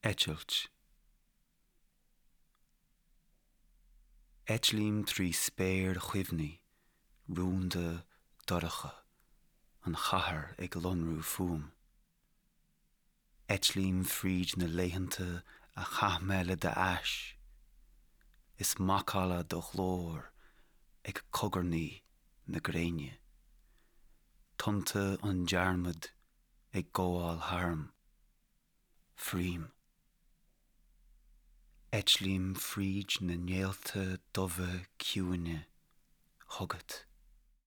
Eitilt. Eitlím trí spéir chuimhní, rúnda, dorcha, an chathair ag lonrú fúm. Eitlím fríd na laethanta a chaith mé le d'ais, is macalla do ghlóir ag cogarnaí na gréine. Tonnta an dearmaid ag gabháil tharm. Fríom. Eitlím fríd na néalta dubha ciúine chugat.